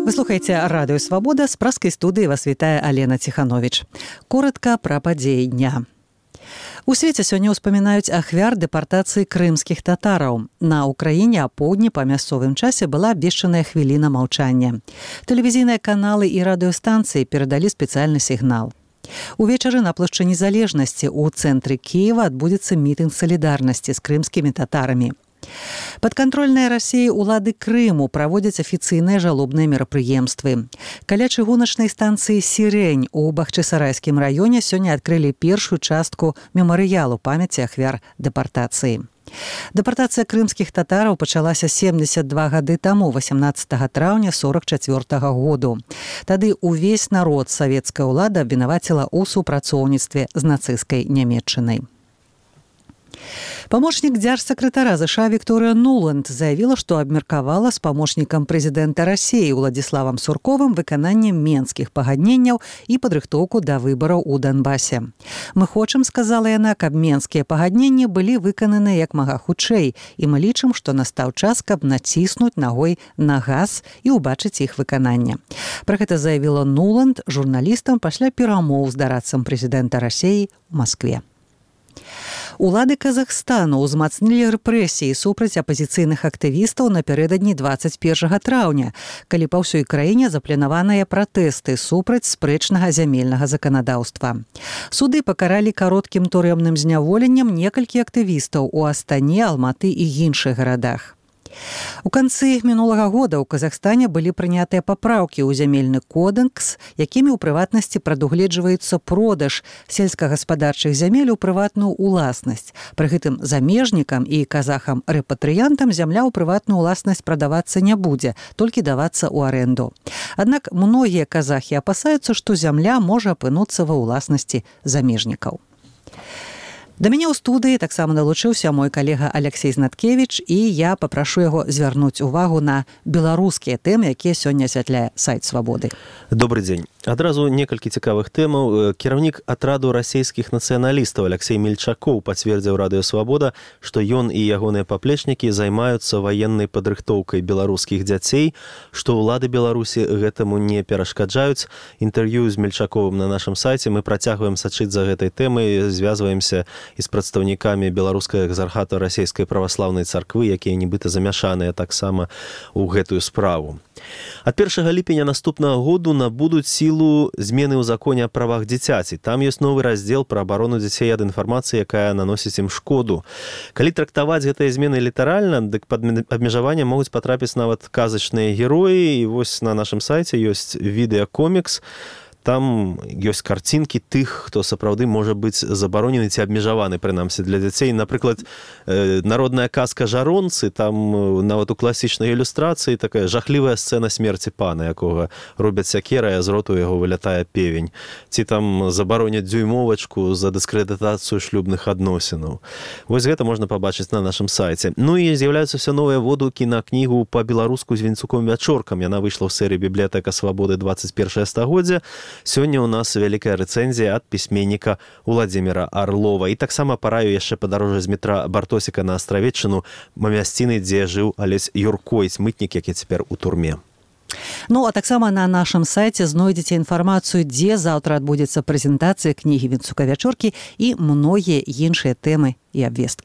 Вы слухаеце радыё «Свабода», з праскай студыі вас вітае Алена Ціхановіч. Коротка пра падзеі дня. У свеце сёння ўспамінаюць ахвяр дэпартацыі крымскіх татараў. На Украіне апоўдні па мясцовым часе была абвешчаная хвіліна маўчання. Тэлевізійныя каналы і радыёстанцыі перадалі спецыяльны сігнал. Увечары на плошчы Незалежнасці ў цэнтры Кіева адбудзецца мітынг салідарнасці з крымскімі татарамі. Падкантрольныя Расіі ўлады Крыму праводзяць афіцыйныя жалобныя мерапрыемствы. Каля чыгуначнай станцыі «Сірень» у Бахчысарайскім раёне сёння адкрылі першую частку мемарыялу памяці ахвяр дэпартацыі. Дэпартацыя крымскіх татараў пачалася 72 гады таму, 18 траўня 44 году. Тады ўвесь народ савецкая ўлада абвінаваціла ў супрацоўніцтве з нацысцкай Нямецчынай. Памочнік дзяржсакратара ЗША Вікторыя Нуланд заявіла, што абмеркавала з памочнікам прэзідэнта Расіі Уладзіславам Сурковым выкананне менскіх пагадненняў і падрыхтоўку да выбараў у Донбасе. «Мы хочам», сказала яна, «каб менскія пагадненні былі выкананы як мага хутчэй, і мы лічым, што настаў час, каб націснуць нагой на газ і ўбачыць іх выкананне». Пра гэта заявіла Нуланд журналістам пасля перамоў з дарадцам прэзідэнта Расіі ў Маскве. Улады Казахстану ўзмацнілі рэпрэсіі супраць апазіцыйных актывістаў напярэдадні 21 траўня, калі па ўсёй краіне запланаваныя пратэсты супраць спрэчнага зямельнага заканадаўства. Суды пакаралі кароткім турэмным зняволеннем некалькі актывістаў у Астане, Алматы і іншых гарадах. У канцы мінулага года ў Казахстане былі прынятыя папраўкі ў зямельны кодэкс, якімі ў прыватнасці прадугледжваецца продаж сельскагаспадарчых зямель у прыватную ўласнасць. Пры гэтым замежнікам і казахам-рэпатрыянтам зямля ў прыватную ўласнасць прадавацца не будзе, толькі давацца ў арэнду. Аднак многія казахі апасаюцца, што зямля можа апынуцца ва ўласнасці замежнікаў. Да мяне ў студыі таксама далучыўся мой калега Алексей Знаткевіч, і я папрашу яго звярнуць увагу на беларускія тэмы, якія сёння асвятляе сайт «Свабоды». Добрый дзень. Адразу некалькі цікавых тэмаў. Кіраўнік атраду расійскіх нацыяналістаў Алексей Мельчакоў пацвердзіў радыё «Свабода», што ён і ягоныя паплечнікі займаюцца ваеннай падрыхтоўкай беларускіх дзяцей, што ўлады Беларусі гэтаму не перашкаджаюць. Інтэрв'ю з Мельчаковым на нашым сайце. Мы працягваем сачыць за гэтай тэмай, звязваемся і з прадстаўнікамі беларускага экзархата расійскай праваслаўнай царквы, якія нібыта замяшаныя таксама ў гэтую справу. Ад 1 ліпеня наступнага году набудуць сілу змены ў законе о правах дзіцяці. Там ёсць новы раздзел пра абарону дзяцей ад інфармацыі, якая наносіць ім шкоду. Калі трактаваць гэтыя змены літаральна, дык пад абмежаванне могуць патрапіць нават казачныя героі. І вось на нашым сайце ёсць відэакомікс. Там ёсць карцінкі тых, хто сапраўды можа быць забаронены ці абмежаваны, прынамсі, для дзяцей. Напрыклад, народная казка «Жаронцы», там нават у класічнай ілюстрацыі такая жахлівая сцэна смерці пана, якога робяць сякерай, а з роту яго вылятае певень. Ці там забароняць дзюймовачку за дыскрэдытацыю шлюбных адносінаў. Вось гэта можна пабачыць на нашым сайце. Ну і з'яўляюцца ўсё новыя водгукі на кнігу па-беларуску з Вінцуком-Вячоркам. Яна выйшла ў серыі «Бібліятэка Свабоды 21 стагоддзя». Сёння ў нас вялікая рэцэнзія ад пісьменніка Уладзіміра Арлова. І таксама параю яшчэ падарожжа з метра Бартосіка на Астравеччыну, мясціны, дзе жыў Алесь Юркойць, мытнік, які цяпер у турме. Ну, а таксама на нашым сайце знойдзеце інфармацыю, дзе заўтра адбудзецца прэзентацыя кнігі Вінцука-Вячоркі і многія іншыя тэмы і абвесткі.